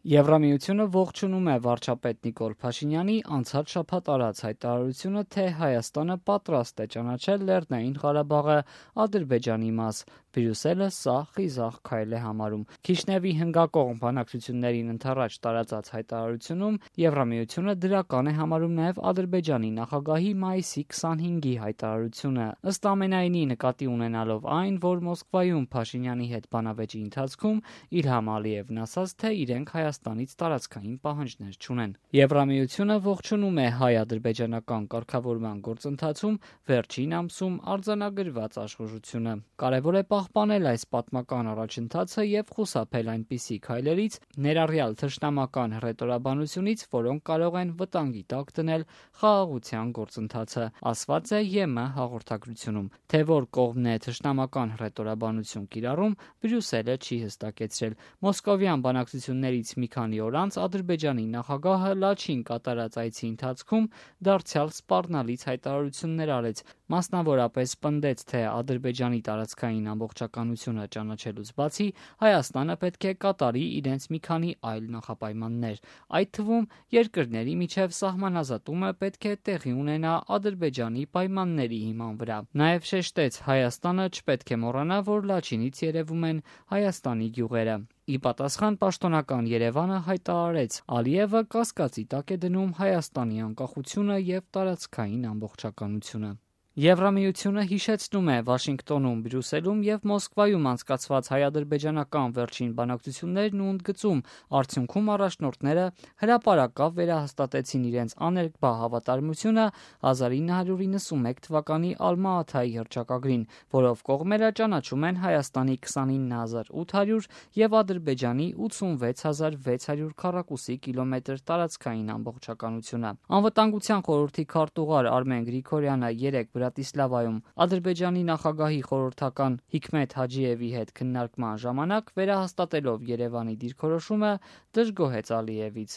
Եվրամիությունը ողջունում է վարչապետ Նիկոլ Փաշինյանի անցած շաբաթ արած հայտարարությունը, թե Հայաստանը պատրաստ է ճանաչել Լեռնային Ղարաբաղը Ադրբեջանի մաս։ Բրյուսելը սա խիզախ քայլ է համարում։ Քիշնևի հնգակողմ բանակցություններին ընդառաջ տարածած հայտարարությունում Եվրամիությունը դրական է համարում նաև Ադրբեջանի նախագահի մայիսի 25-ի հայտարարությունը։ Ըստ ամենայնի, նկատի ունենալով այն, որ Մոսկվայում Փաշինյանի հետ բանավեճի ընթացքում Իլհամ Ալիևն ասաց, թե իրենք Հայաստանից տարածքային պահանջներ չունեն։ Եվրամիությունը ողջունում է հայ-ադրբեջանական կարգավորման գործընթացում վերջին ամսում արձանագրված աշխուժությունը։ Կարևոր է պահպանել այս պատմական առաջընթացը եւ խուսափել այնպիսի քայլերից, ներառյալ թշնամական հռետորաբանությունից, որոնք կարող են վտանգի տակ դնել խաղաղության գործընթացը, ասված է ԵՄ հաղորդագրությունում։ Թե որ կողմն է թշնամական հռետորաբանություն կիրառում, Բրյուսելը չի հստակեցրել։ Մոսկովյան բանակցություններից մի քանի օր անց Ադրբեջանի նախագահը Լաչին կատարած այցի ընթացքում դարձյալ սպառնալից հայտարարություններ արեց, մասնավորապես պնդեց, թե Ադրբեջանի տարածքային ամբողջականությունը ճանաչելուց բացի Հայաստանը պետք է կատարի իրենց մի քանի այլ նախապայմաններ։ Այդ թվում երկրների միջև սահմանազատումը պետք է տեղի ունենա Ադրբեջանի պայմանների հիման վրա։ Նաև շեշտեց, Հայաստանը չպետք է մոռանա, որ Լաչինից երևում են Հայաստանի գյուղերը։ Ի պատասխան պաշտոնական Երևանը հայտարարեց, Ալիևը կասկածի տակ է դնում Հայաստանի անկախությունը եւ տարածքային ամբողջականությունը։ Եվրամիությունը հիշեցնում է Վաշինգտոնում, Բրյուսելում եւ Մոսկվայում անցկացված հայ-ադրբեջանական վերջին բանակցություններն ու ընդգծում, արդյունքում առաջնորդները հրապարակավ վերահաստատեցին իրենց աներկբա հավատարմությունը 1991 թվականի Ալմա-Աթայի հռչակագրին, որով կողմերը ճանաչում են Հայաստանի 29800 եւ Ադրբեջանի 86600 քառակուսի կիլոմետր տարածքային ամբողջականությունը։ Անվտանգության խորհրդի քարտուղար Արմեն Գրիգորյանը երեկ Բրատիսլավայում Ադրբեջանի նախագահի խորհրդական Հիքմեթ Հաջիևի հետ քննարկման ժամանակ վերահաստատելով Երևանի դիրքորոշումը դժգոհեց Ալիևից։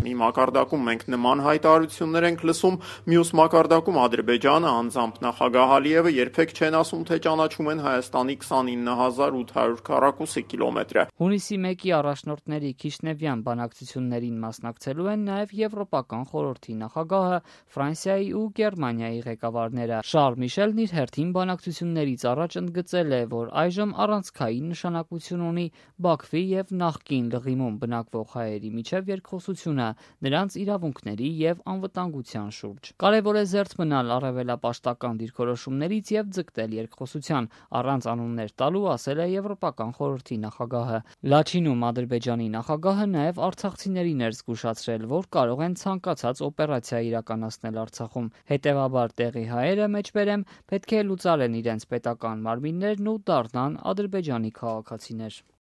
Մի մակարդակում մենք նման հայտարարություններ ենք լսում, մյուս մակարդակում Ադրբեջանը, անձամբ նախագահ Ալիևը երբեք չեն ասում, թե ճանաչում են Հայաստանի 29800 քառակուսի կիլոմետրը։ Հունիսի 1-ի առաջնորդների Քիշնևյան բանակցություններին մասնակցելու են նաև Եվրոպական խորհրդի նախագահը, Ֆրանսիայի ու Գերմանիայի ղեկավարները։ Շարլ Միշելն իր հերթին բանակցություններից առաջ ընդգծել է, որ այժմ առանցքային նշանակություն ունի Բաքվի եւ նախկին Լղիմում բնակվող հայերի միջև երկխոսությունը նրանց իրավունքների եւ անվտանգության շուրջ։ Կարևոր է զերծ մնալ առավելապաշտական դիրքորոշումներից եւ ձգտել երկխոսության, առանց անուններ տալու, ասել է Եվրոպական խորհրդի նախագահը։ Լաչինում Ադրբեջանի նախագահը նաեւ արցախցիներին էր զգուշացրել, որ կարող են ցանկացած օպերացիա իրականացնել Արցախում։ Հետևաբար տեղի հայերը, մեջբերեմ, պետք է լուծարեն իրենց պետական մարմիններն ու դառնան Ադրբեջանի քաղաքացիներ։